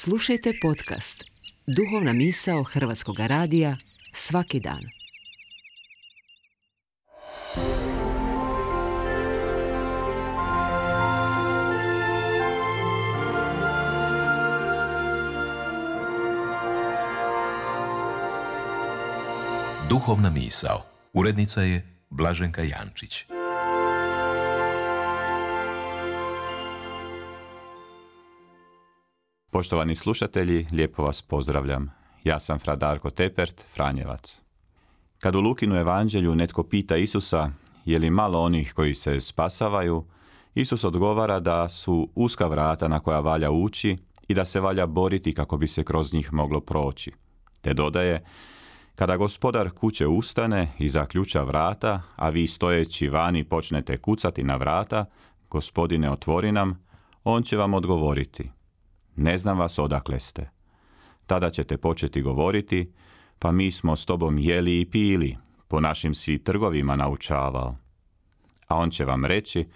Slušajte podcast Duhovna misao Hrvatskog radija svaki dan. Duhovna misao. Urednica je Blaženka Jančić. Poštovani slušatelji, lijepo vas pozdravljam. Ja sam fra Darko Tepert, Franjevac. Kad u Lukinu evanđelju netko pita Isusa je li malo onih koji se spasavaju, Isus odgovara da su uska vrata na koja valja ući i da se valja boriti kako bi se kroz njih moglo proći. Te dodaje, kada gospodar kuće ustane i zaključa vrata, a vi stojeći vani počnete kucati na vrata, Gospodine otvori nam, on će vam odgovoriti. Ne znam vas odakle ste. Tada ćete početi govoriti, pa mi smo s tobom jeli i pili, po našim si trgovima naučavao. A on će vam reći,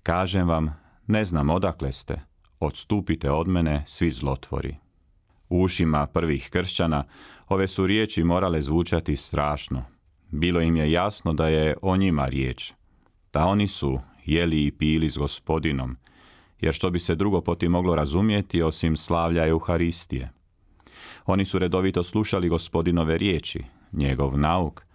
kažem vam, ne znam odakle ste, odstupite od mene svi zlotvori. U ušima prvih kršćana ove su riječi morale zvučati strašno. Bilo im je jasno da je o njima riječ, da oni su jeli i pili s Gospodinom, jer što bi se drugo po tim moglo razumjeti osim slavlja Euharistije. Oni su redovito slušali Gospodinove riječi, njegov nauk,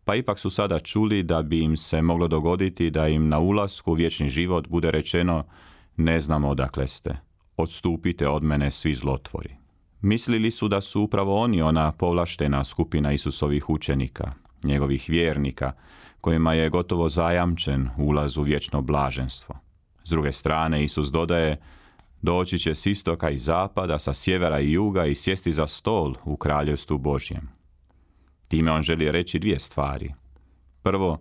pa ipak su sada čuli da bi im se moglo dogoditi da im na ulasku u vječni život bude rečeno ne znam odakle ste, odstupite od mene svi zlotvori. Mislili su da su upravo oni ona povlaštena skupina Isusovih učenika, njegovih vjernika, kojima je gotovo zajamčen ulaz u vječno blaženstvo. S druge strane, Isus dodaje, doći će s istoka i zapada, sa sjevera i juga i sjesti za stol u kraljevstvu Božjem. Time on želi reći dvije stvari. Prvo,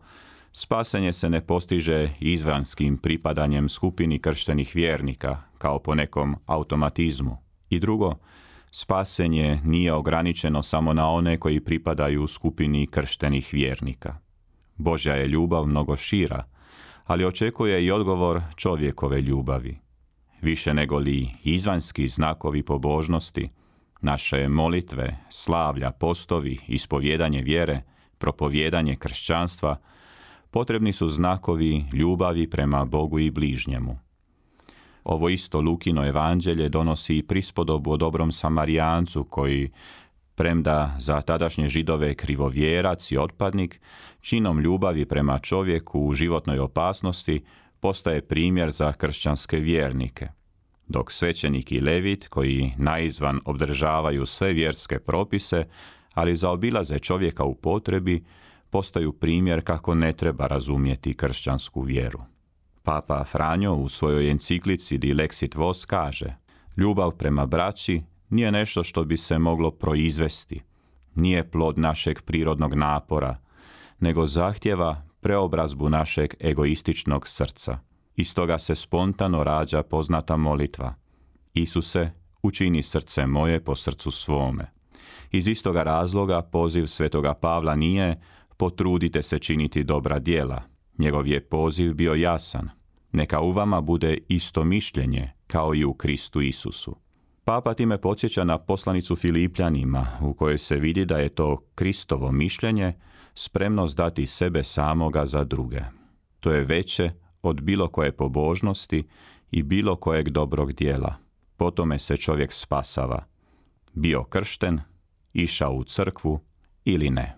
spasenje se ne postiže izvanskim pripadanjem skupini krštenih vjernika, kao po nekom automatizmu. I drugo, spasenje nije ograničeno samo na one koji pripadaju skupini krštenih vjernika. Božja je ljubav mnogo šira, ali očekuje i odgovor čovjekove ljubavi. Više nego li izvanjski znakovi pobožnosti, naše molitve, slavlja, postovi, ispovjedanje vjere, propovijedanje kršćanstva, potrebni su znakovi ljubavi prema Bogu i bližnjemu. Ovo isto Lukino evanđelje donosi i prispodobu o dobrom Samarijancu koji, premda za tadašnje Židove krivovjerac i otpadnik, činom ljubavi prema čovjeku u životnoj opasnosti postaje primjer za kršćanske vjernike. Dok svećenik i levit, koji naizvan obdržavaju sve vjerske propise, ali zaobilaze čovjeka u potrebi, postaju primjer kako ne treba razumjeti kršćansku vjeru. Papa Franjo u svojoj enciklici Di Lexit Vos kaže, ljubav prema braći nije nešto što bi se moglo proizvesti, nije plod našeg prirodnog napora, nego zahtjeva preobrazbu našeg egoističnog srca. Iz toga se spontano rađa poznata molitva. Isuse, učini srce moje po srcu svome. Iz istoga razloga poziv svetoga Pavla nije potrudite se činiti dobra djela. Njegov je poziv bio jasan. Neka u vama bude isto mišljenje kao i u Kristu Isusu. Papa time podsjeća na poslanicu Filipljanima u kojoj se vidi da je to Kristovo mišljenje spremnost dati sebe samoga za druge. To je veće od bilo koje pobožnosti i bilo kojeg dobrog djela. Po tome se čovjek spasava. Bio kršten, išao u crkvu ili ne.